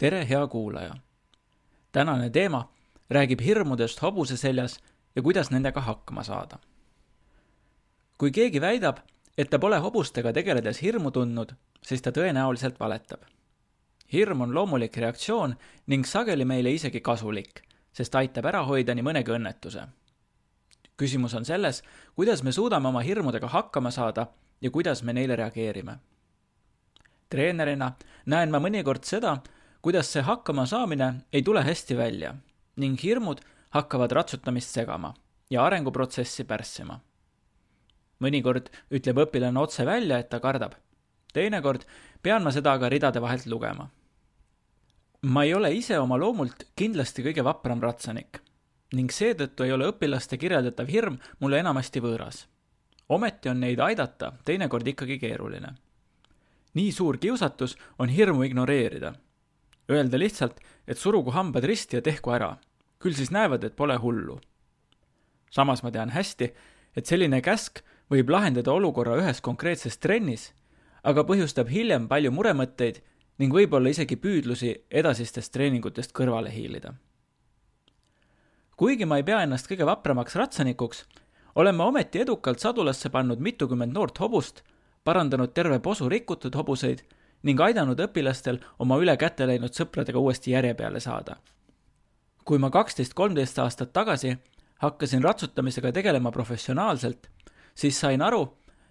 Tere, hea kuulaja! Tänane teema räägib hirmudest hobuse seljas ja kuidas nendega hakkama saada. Kui keegi väidab, et ta pole hobustega tegeledes hirmu tundnud, siis ta tõenäoliselt valetab. Hirm on loomulik reaktsioon ning sageli meile isegi kasulik, sest aitab ära hoida nii mõnegi õnnetuse. Küsimus on selles, kuidas me suudame oma hirmudega hakkama saada ja kuidas me neile reageerime. Treenerina näen ma mõnikord seda, kuidas see hakkama saamine ei tule hästi välja ning hirmud hakkavad ratsutamist segama ja arenguprotsessi pärssima. Mõnikord ütleb õpilane otse välja, et ta kardab. Teinekord pean ma seda aga ridade vahelt lugema. Ma ei ole ise oma loomult kindlasti kõige vapram ratsanik ning seetõttu ei ole õpilaste kirjeldatav hirm mulle enamasti võõras. Ometi on neid aidata teinekord ikkagi keeruline. Nii suur kiusatus on hirmu ignoreerida. Öelda lihtsalt, et surugu hambad risti ja tehku ära. Küll siis näevad, et pole hullu. Samas ma tean hästi, et selline käsk võib lahendada olukorra ühes konkreetses trennis, aga põhjustab hiljem palju muremõtteid ning võib-olla isegi püüdlusi edasistest treeningutest kõrvale hiilida. Kuigi ma ei pea ennast kõige vapramaks ratsanikuks, olen ma ometi edukalt sadulasse pannud mitukümmend noort hobust, parandanud terve posu rikutud hobuseid ning aidanud õpilastel oma üle kätte läinud sõpradega uuesti järje peale saada. Kui ma 12-13 aastat tagasi hakkasin ratsutamisega tegelema professionaalselt, siis sain aru,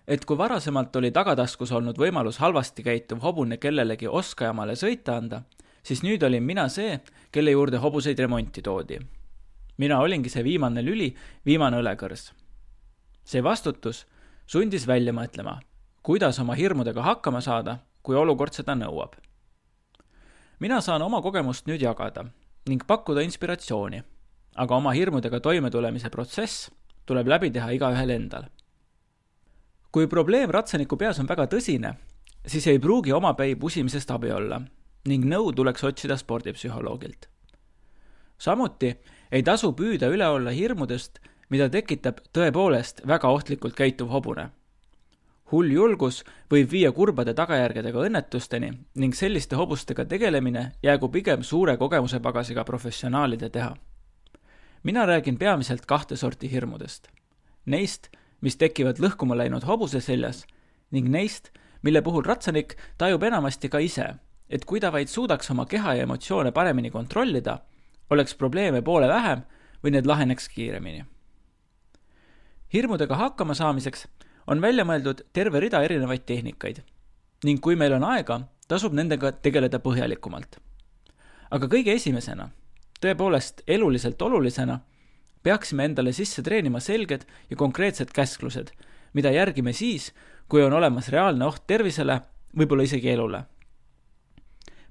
et kui varasemalt oli tagataskus olnud võimalus halvasti käituv hobune kellelegi oskajamale sõita anda, siis nüüd olin mina see, kelle juurde hobuseid remonti toodi. Mina olingi see viimane lüli, viimane õlekõrs. See vastutus sundis välja mõtlema, kuidas oma hirmudega hakkama saada, kui olukord seda nõuab. Mina saan oma kogemust nüüd jagada ning pakkuda inspiratsiooni, aga oma hirmudega toimetulemise protsess tuleb läbi teha igaühel endal. Kui probleem ratsaniku peas on väga tõsine, siis ei pruugi omapäi pusimisest abi olla ning nõu tuleks otsida spordipsühholoogilt. Samuti ei tasu püüda üle olla hirmudest, mida tekitab tõepoolest väga ohtlikult käituv hobune. Hull julgus võib viia kurbade tagajärgedega õnnetusteni ning selliste hobustega tegelemine jäägu pigem suure kogemuse pagasiga professionaalide teha. Mina räägin peamiselt 2 sorti hirmudest. Neist, mis tekivad lõhkuma läinud hobuse seljas ning neist, mille puhul ratsanik tajub enamasti ka ise, et kui ta vaid suudaks oma keha ja emotsioone paremini kontrollida, oleks probleeme poole vähem või need laheneks kiiremini. Hirmudega hakkama saamiseks on välja mõeldud terve rida erinevaid tehnikaid ning kui meil on aega, tasub nendega tegeleda põhjalikumalt. Aga kõige esimesena, tõepoolest eluliselt olulisena, peaksime endale sisse treenima selged ja konkreetsed käsklused, mida järgime siis, kui on olemas reaalne oht tervisele, võib-olla isegi elule.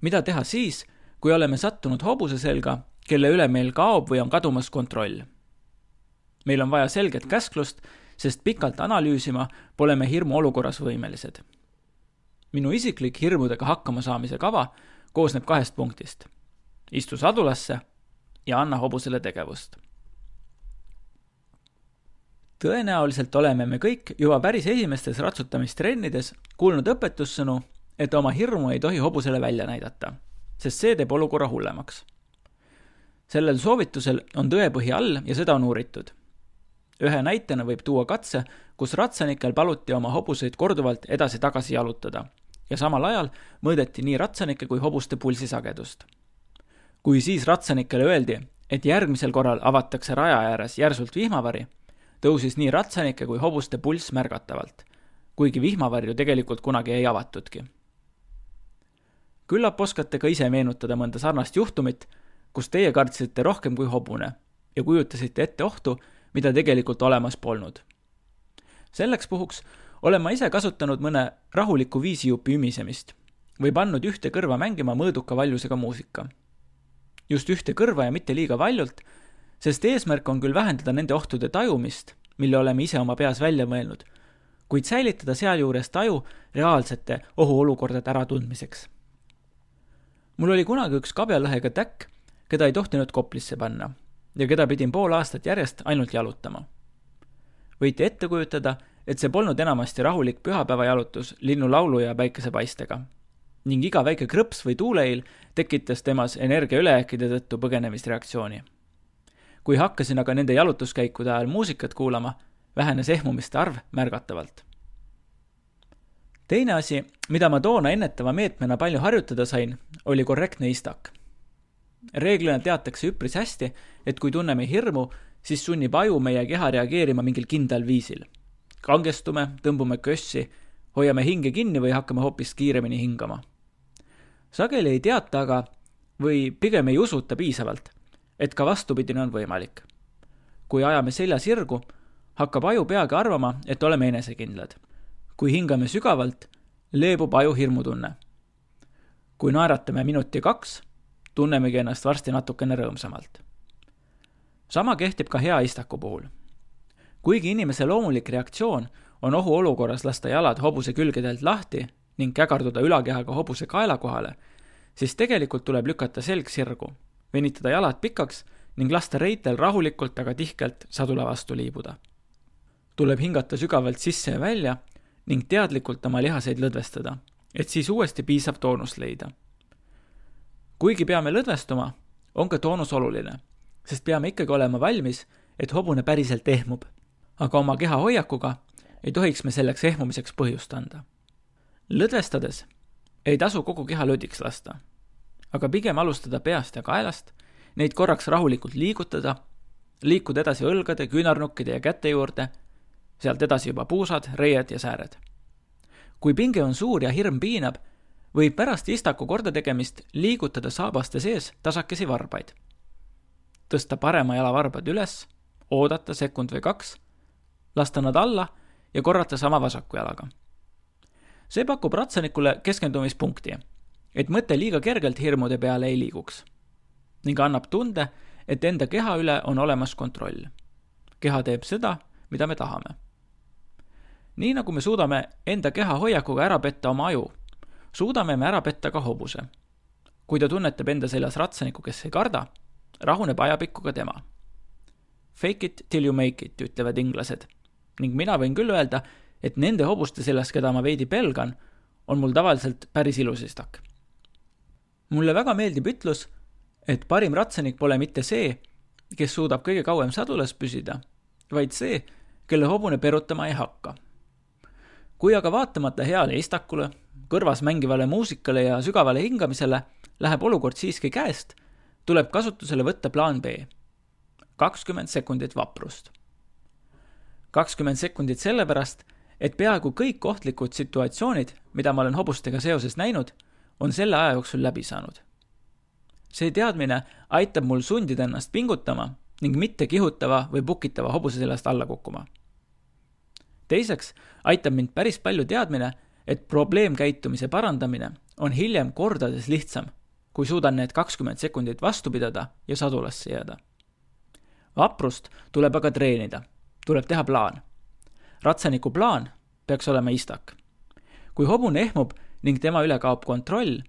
Mida teha siis, kui oleme sattunud hobuse selga, kelle üle meil kaob või on kadumas kontroll? Meil on vaja selget käsklust, sest pikalt analüüsima pole me hirmu olukorras võimelised. Minu isiklik hirmudega hakkama saamise kava koosneb 2 punktist. Istu sadulasse ja anna hobusele tegevust. Tõenäoliselt oleme me kõik juba päris esimestes ratsutamistrennides kuulnud õpetussõnu, et oma hirmu ei tohi hobusele välja näidata, sest see teeb olukorra hullemaks. Sellel soovitusel on tõepõhi all ja seda on uuritud. Ühe näitena võib tuua katse, kus ratsanikel paluti oma hobuseid korduvalt edasi-tagasi jalutada ja samal ajal mõõdeti nii ratsanike kui hobuste pulsisagedust. Kui siis ratsanikele öeldi, et järgmisel korral avatakse raja ääres järsult vihmavari, tõusis nii ratsanike kui hobuste pulss märgatavalt, kuigi vihmavarju tegelikult kunagi ei avatudki. Küllap oskate ka ise meenutada mõnda sarnast juhtumit, kus teie kartsite rohkem kui hobune ja kujutasite ette ohtu, mida tegelikult olemas polnud. Selleks puhuks olen ma ise kasutanud mõne rahuliku viisijupi ümisemist või pannud ühte kõrva mängima mõõduka valjusega muusika. Just ühte kõrva ja mitte liiga valjult, sest eesmärk on küll vähendada nende ohtude tajumist, mille oleme ise oma peas välja mõelnud, kuid säilitada sealjuures taju reaalsete ohuolukordade äratundmiseks. Mul oli kunagi üks kabjalõhega täkk, keda ei tohtinud koplisse panna ja keda pidin pool aastat järjest ainult jalutama. Võite ette kujutada, et see polnud enamasti rahulik pühapäeva jalutus linnulaulu ja päikesepaistega. ning iga väike krõps või tuuleil tekitas temas energia ülejääkide tõttu põgenemisreaktsiooni. Kui hakkasin aga nende jalutuskäikude ajal muusikat kuulama, vähenes ehmumiste arv märgatavalt. Teine asi, mida ma toona ennetava meetmena palju harjutada sain, oli korrektne istak. Reeglina teatakse üpris hästi, et kui tunneme hirmu, siis sunnib aju meie keha reageerima mingil kindlal viisil. Kangestume, tõmbume kössi, hoiame hinge kinni või hakkame hoopis kiiremini hingama. Sageli ei teata aga või pigem ei usuta piisavalt, et ka vastupidine on võimalik. Kui ajame selja sirgu, hakkab aju peagi arvama, et oleme enesekindlad. Kui hingame sügavalt, leebub aju hirmutunne. Kui naeratame minuti 2, tunnemegi ennast varsti natukene rõõmsamalt. Sama kehtib ka hea istaku puhul. Kuigi inimese loomulik reaktsioon on ohu olukorras lasta jalad hobuse külgedelt lahti ning kägarduda ülakehaga hobuse kaela kohale, siis tegelikult tuleb lükata selg sirgu, venitada jalad pikaks ning lasta reitel rahulikult, aga tihkelt sadula vastu liibuda. Tuleb hingata sügavalt sisse ja välja ning teadlikult oma lihaseid lõdvestada, et siis uuesti piisav toonus leida. Kuigi peame lõdvestuma, on ka toonus oluline, sest peame ikkagi olema valmis, et hobune päriselt ehmub, aga oma keha hoiakuga ei tohiks me selleks ehmumiseks põhjust anda. Lõdvestades ei tasu kogu keha lödiks lasta, aga pigem alustada peast ja kaelast, neid korraks rahulikult liigutada, liikuda edasi õlgade, küünarnukkide ja käte juurde, sealt edasi juba puusad, reied ja sääred. Kui pinge on suur ja hirm piinab, võib pärast istaku korda tegemist liigutada saabaste sees tasakesi varbaid. Tõsta parema jala varbad üles, oodata sekund või 2, lasta nad alla ja korrata sama vasaku jalaga. See pakub ratsanikule keskendumispunkti, et mõte liiga kergelt hirmude peale ei liiguks ning annab tunde, et enda keha üle on olemas kontroll. Keha teeb seda, mida me tahame. Nii nagu me suudame enda keha hoiakuga ära petta oma aju, suudame me ära petta ka hobuse. Kui ta tunnetab enda seljas ratsaniku, kes ei karda, rahuneb ajapikku ka tema. Fake it till you make it, ütlevad inglased. Ning mina võin küll öelda, et nende hobuste seljas, keda ma veidi pelgan, on mul tavaliselt päris ilus istak. Mulle väga meeldib ütlus, et parim ratsanik pole mitte see, kes suudab kõige kauem sadulas püsida, vaid see, kelle hobune perutama ei hakka. Kui aga vaatamata heale istakule, kõrvas mängivale muusikale ja sügavale hingamisele läheb olukord siiski käest, tuleb kasutusele võtta plaan B. 20 sekundit vaprust. 20 sekundit sellepärast, et peaaegu kõik ohtlikud situatsioonid, mida ma olen hobustega seoses näinud, on selle aja jooksul läbi saanud. See teadmine aitab mul sundida ennast pingutama ning mitte kihutava või pukitava hobuse sellest alla kukkuma. Teiseks aitab mind päris palju teadmine, et probleemkäitumise parandamine on hiljem kordades lihtsam, kui suudan need 20 sekundit vastu pidada ja sadulasse jääda. Vaprust tuleb aga treenida, tuleb teha plaan. Ratsaniku plaan peaks olema istak. Kui hobune ehmub ning tema üle kaob kontroll,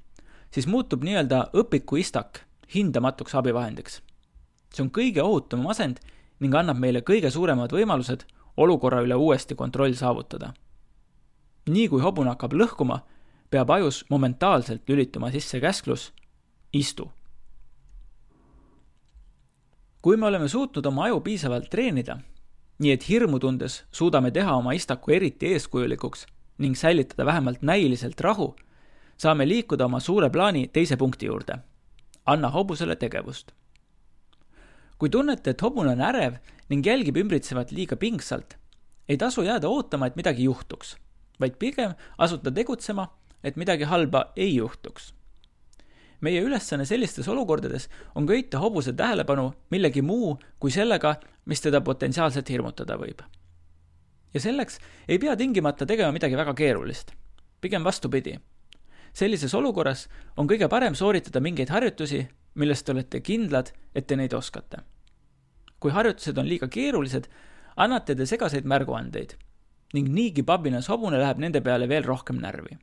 siis muutub nii-öelda õpiku istak hindamatuks abivahendiks. See on kõige ohutum asend ning annab meile kõige suuremad võimalused olukorra üle uuesti kontroll saavutada. Nii kui hobune hakkab lõhkuma, peab ajus momentaalselt lülituma sisse käsklus istu. Kui me oleme suutnud oma aju piisavalt treenida, nii et hirmu tundes suudame teha oma istaku eriti eeskujulikuks ning säilitada vähemalt näiliselt rahu, saame liikuda oma suure plaani teise punkti juurde. Anna hobusele tegevust. Kui tunnete, et hobune on ärev ning jälgib ümbritsevat liiga pingsalt, ei tasu jääda ootama, et midagi juhtuks, vaid pigem asuta tegutsema, et midagi halba ei juhtuks. Meie ülesanne sellistes olukordades on köita hobuse tähelepanu millegi muu kui sellega, mis teda potentsiaalselt hirmutada võib. Ja selleks ei pea tingimata tegema midagi väga keerulist. Pigem vastupidi. Sellises olukorras on kõige parem sooritada mingeid harjutusi, millest te olete kindlad, et te neid oskate. Kui harjutused on liiga keerulised, annate te segaseid märguandeid ning niigi pabinas hobune läheb nende peale veel rohkem närvi.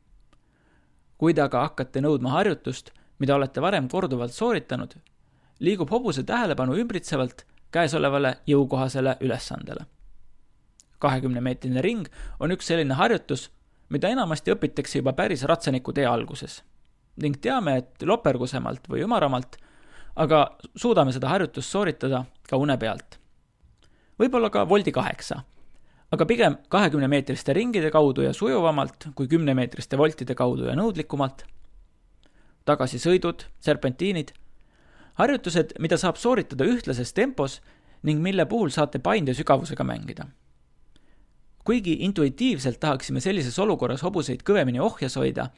Kui te aga hakkate nõudma harjutust, mida olete varem korduvalt sooritanud, liigub hobuse tähelepanu ümbritsevalt käesolevale jõukohasele ülesandele. 20-meetrine ring on üks selline harjutus, mida enamasti õpitakse juba päris ratsaniku tee alguses, ning teame, et lopergusemalt või ümaramalt, aga suudame seda harjutust sooritada ka une pealt. Võib-olla ka voldi 8, aga pigem 20-meetriste ringide kaudu ja sujuvamalt kui 10-meetriste voltide kaudu ja nõudlikumalt. Tagasisõidud, serpentiinid, harjutused, mida saab sooritada ühtlases tempos ning mille puhul saate painde sügavusega mängida. Kuigi intuitiivselt tahaksime sellises olukorras hobuseid kõvemini ohjas hoida,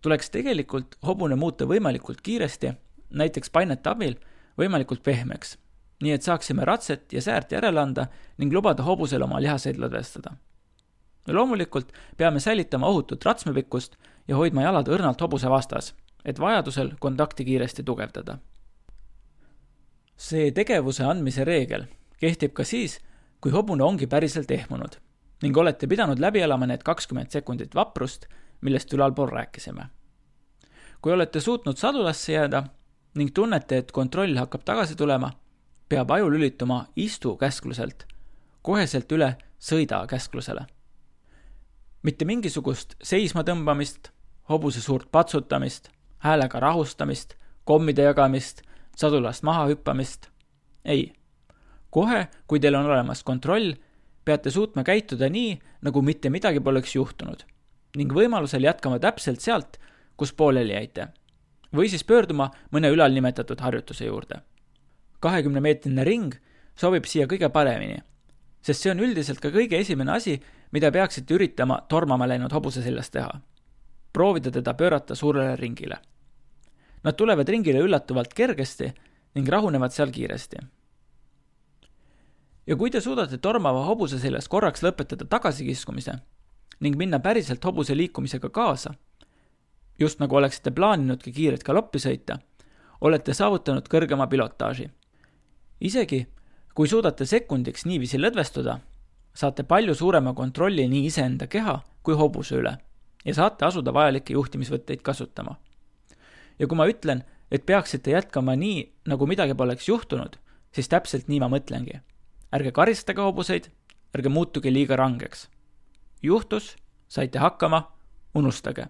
tuleks tegelikult hobune muuta võimalikult kiiresti, näiteks painete abil, võimalikult pehmeks, nii et saaksime ratset ja säärt järele anda ning lubada hobusel oma lihaseid lõdvestada. Loomulikult peame säilitama ohutut ratsmepikkust ja hoidma jalad õrnalt hobuse vastas, et vajadusel kontakti kiiresti tugevdada. See tegevuse andmise reegel kehtib ka siis, kui hobune ongi päriselt ehmunud ning olete pidanud läbi elama need 20 sekundit vaprust, millest ülalpool rääkisime. Kui olete suutnud sadulasse jääda ning tunnete, et kontroll hakkab tagasi tulema, peab aju lülituma istu käskluselt, koheselt üle sõida käsklusele. Mitte mingisugust seisma tõmbamist, hobuse suurt patsutamist, häälega rahustamist, kommide jagamist, sadulast maha hüppamist. Ei. Kohe, kui teil on olemas kontroll, peate suutma käituda nii, nagu mitte midagi poleks juhtunud ning võimalusel jätkama täpselt sealt, kus pooleli jäite. Või siis pöörduma mõne ülalnimetatud harjutuse juurde. 20-meetrine ring sobib siia kõige paremini, sest see on üldiselt ka kõige esimene asi, mida peaksite üritama tormama läinud hobuse seljas teha. Proovida teda pöörata suurele ringile. Nad tulevad ringile üllatuvalt kergesti ning rahunevad seal kiiresti. Ja kui te suudate tormava hobuse seljas korraks lõpetada tagasikiskumise ning minna päriselt hobuse liikumisega kaasa, just nagu oleksite plaaninudki kiiret galoppi sõita, olete saavutanud kõrgema pilotaaži. Isegi, kui suudate sekundiks niiviisi lõdvestuda, saate palju suurema kontrolli nii iseenda keha kui hobuse üle ja saate asuda vajalikke juhtimisvõtteid kasutama. Ja kui ma ütlen, et peaksite jätkama nii, nagu midagi poleks juhtunud, siis täpselt nii ma mõtlengi. Ärge karistage hobuseid, ärge muutuge liiga rangeks. Juhtus, saite hakkama, unustage.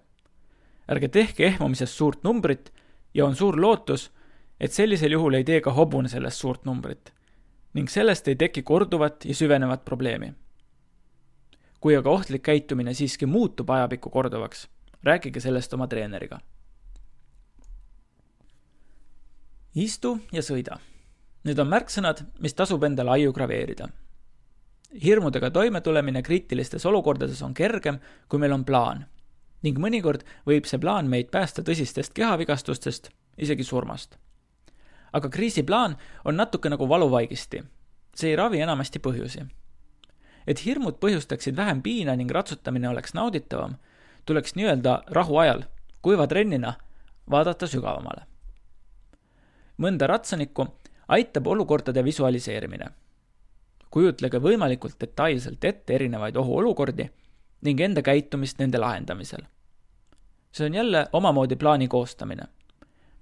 Ärge tehke ehmumisest suurt numbrit ja on suur lootus, et sellisel juhul ei tee ka hobune sellest suurt numbrit ning sellest ei teki korduvat ja süvenevat probleemi. Kui aga ohtlik käitumine siiski muutub ajapikku korduvaks, rääkige sellest oma treeneriga. Istu ja sõida. Need on märksõnad, mis tasub endale aiu graveerida. Hirmudega toimetulemine kriitilistes olukordades on kergem, kui meil on plaan. Ning mõnikord võib see plaan meid päästa tõsistest kehavigastustest, isegi surmast. Aga kriisiplaan on natuke nagu valuvaigisti. See ei ravi enamasti põhjusi. Et hirmud põhjustaksid vähem piina ning ratsutamine oleks nauditavam, tuleks nii-öelda rahu ajal, kuiva trennina, vaadata sügavamale. Mõnda ratsanikku aitab olukordade visualiseerimine. Kujutlege võimalikult detailselt ette erinevaid ohuolukordi ning enda käitumist nende lahendamisel. See on jälle omamoodi plaani koostamine.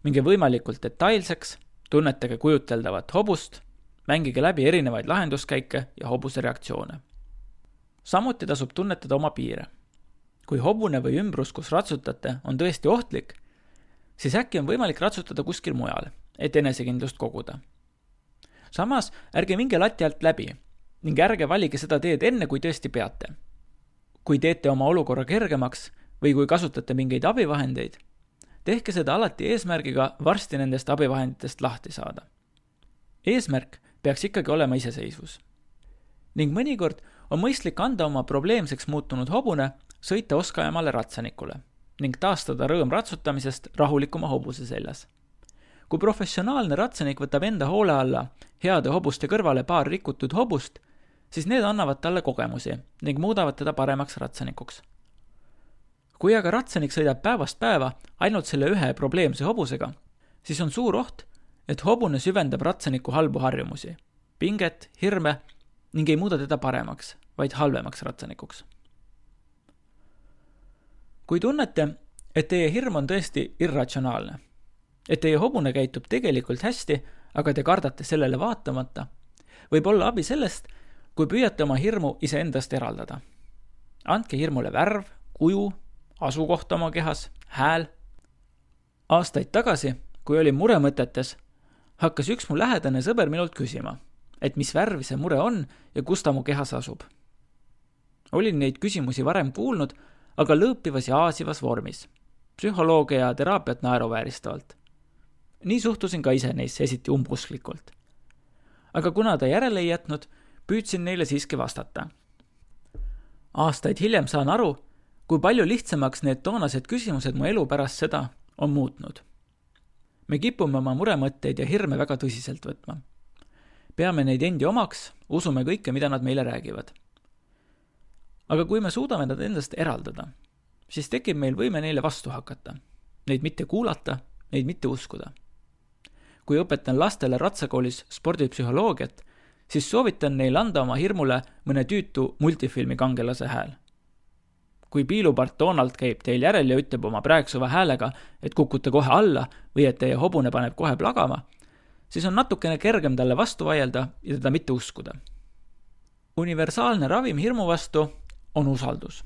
Minge võimalikult detailseks, tunnetage kujuteldavat hobust, mängige läbi erinevaid lahenduskäike ja hobuse reaktsioone. Samuti tasub tunnetada oma piire. Kui hobune või ümbrus, kus ratsutate, on tõesti ohtlik, siis äkki on võimalik ratsutada kuskil mujal, et enesekindlust koguda. Samas ärge minge lati alt läbi ning ärge valige seda teed enne, kui tõesti peate. Kui teete oma olukorra kergemaks või kui kasutate mingeid abivahendeid, tehke seda alati eesmärgiga varsti nendest abivahenditest lahti saada. Eesmärk peaks ikkagi olema iseseisvus. Ning mõnikord on mõistlik anda oma probleemseks muutunud hobune sõita oskajamale ratsanikule ning taastada rõõm ratsutamisest rahulikuma hobuse seljas. Kui professionaalne ratsanik võtab enda hoole alla heade hobuste kõrvale paar rikutud hobust, siis need annavad talle kogemusi ning muudavad teda paremaks ratsanikuks. Kui aga ratsanik sõidab päevast päeva ainult selle ühe probleemse hobusega, siis on suur oht, et hobune süvendab ratsaniku halbu harjumusi, pinget, hirme ning ei muuda teda paremaks, vaid halvemaks ratsanikuks. Kui tunnete, et teie hirm on tõesti irratsionaalne, et teie hobune käitub tegelikult hästi, aga te kardate sellele vaatamata, võib olla abi sellest, kui püüate oma hirmu iseendast eraldada. Andke hirmule värv, kuju, asukoht oma kehas, hääl. Aastaid tagasi, kui olin muremõtetes, hakkas üks mu lähedane sõber minult küsima, et mis värvi see mure on ja kus ta mu kehas asub. Olin neid küsimusi varem kuulnud, aga lõõpivas ja aasivas vormis, psühholoogia ja teraapiat naeruvääristavalt. Nii suhtusin ka ise neisse esiti umbusklikult. Aga kuna ta järele ei jätnud, püüdsin neile siiski vastata. Aastaid hiljem saan aru, kui palju lihtsamaks need toonased küsimused mu elu pärast seda on muutnud. Me kipume oma muremõtteid ja hirme väga tõsiselt võtma. Peame neid endi omaks, usume kõike, mida nad meile räägivad. Aga kui me suudame nad endast eraldada, siis tekib meil võime neile vastu hakata, neid mitte kuulata, neid mitte uskuda. Kui õpetan lastele ratsakoolis spordipsühholoogiat, siis soovitan neil anda oma hirmule mõne tüütu multifilmi kangelase hääl. Kui piilupart Donald käib teil järel ja ütleb oma praegsuva häälega, et kukute kohe alla või et teie hobune paneb kohe plagama, siis on natukene kergem talle vastu vaielda ja teda mitte uskuda. Universaalne ravim hirmu vastu on usaldus.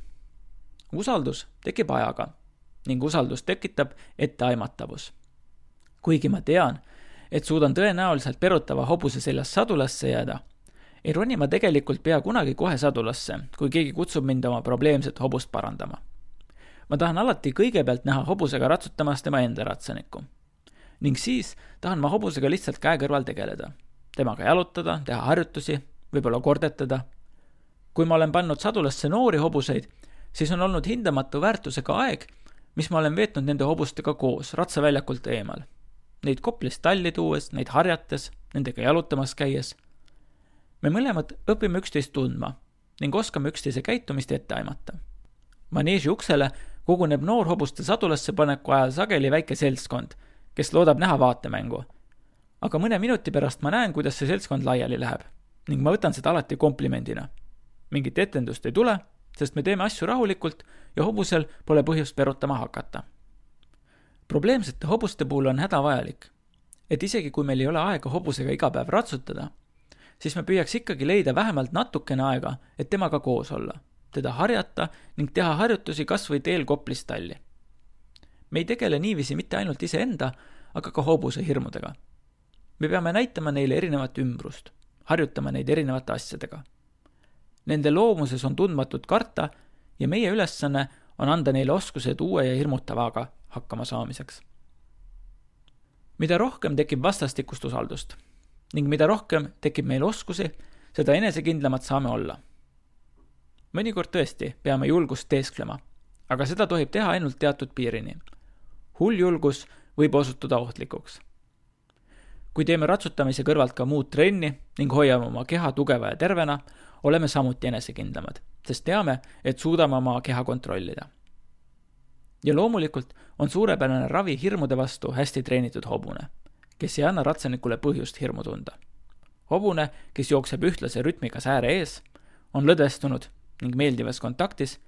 Usaldus tekib ajaga ning usaldus tekitab etteaimatavus. Kuigi ma tean, et suudan tõenäoliselt perutava hobuse seljas sadulasse jääda, ei roni ma tegelikult pea kunagi kohe sadulasse, kui keegi kutsub mind oma probleemset hobust parandama. Ma tahan alati kõigepealt näha hobusega ratsutamas tema enda ratsanikku. Ning siis tahan ma hobusega lihtsalt käe kõrval tegeleda. Temaga jalutada, teha harjutusi, võib-olla kordetada. Kui ma olen pannud sadulasse noori hobuseid, siis on olnud hindamatu väärtusega aeg, mis ma olen veetnud nende hobustega koos, ratsaväljakult eemal. Neid Koplist talli tuues, neid harjates, nendega jalutamas käies. Me mõlemad õpime üksteist tundma ning oskame üksteise käitumist ette aimata. Maneeži uksele koguneb noor hobuste sadulasse paneku ajal sageli väike seltskond, kes loodab näha vaatemängu. Aga mõne minuti pärast ma näen, kuidas see seltskond laiali läheb ning ma võtan seda alati komplimendina. Mingit etendust ei tule, sest me teeme asju rahulikult ja hobusel pole põhjust perutama hakata. Probleemsete hobuste puhul on hädavajalik, et isegi kui meil ei ole aega hobusega iga päev ratsutada, siis me püüaks ikkagi leida vähemalt natukene aega, et temaga koos olla, teda harjata ning teha harjutusi kas või teel Koplist talli. Me ei tegele niiviisi mitte ainult iseenda, aga ka hobuse hirmudega. Me peame näitama neile erinevat ümbrust, harjutama neid erinevate asjadega. Nende loomuses on tundmatut karta ja meie ülesanne on anda neile oskused uue ja hirmutavaga hakkama saamiseks. Mida rohkem tekib vastastikust usaldust ning mida rohkem tekib meil oskusi, seda enesekindlamad saame olla. Mõnikord tõesti peame julgust teesklema, aga seda tohib teha ainult teatud piirini. Hull julgus võib osutuda ohtlikuks. Kui teeme ratsutamise kõrvalt ka muud trenni ning hoiame oma keha tugeva ja tervena, oleme samuti enesekindlamad, sest teame, et suudame oma keha kontrollida. Ja loomulikult on suurepärane ravi hirmude vastu hästi treenitud hobune, kes ei anna ratsanikule põhjust hirmu tunda. Hobune, kes jookseb ühtlase rütmiga sääre ees, on lõdestunud ning meeldivas kontaktis,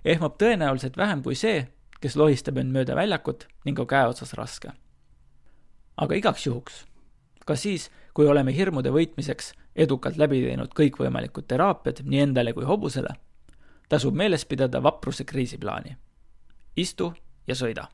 ehmab tõenäoliselt vähem kui see, kes lohistab end mööda väljakut ning on käeotsas raske. Aga igaks juhuks, ka siis, kui oleme hirmude võitmiseks edukalt läbi teinud kõikvõimalikud teraapiad nii endale kui hobusele, tasub meeles pidada vapruse kriisiplaani. Istu ja sõida.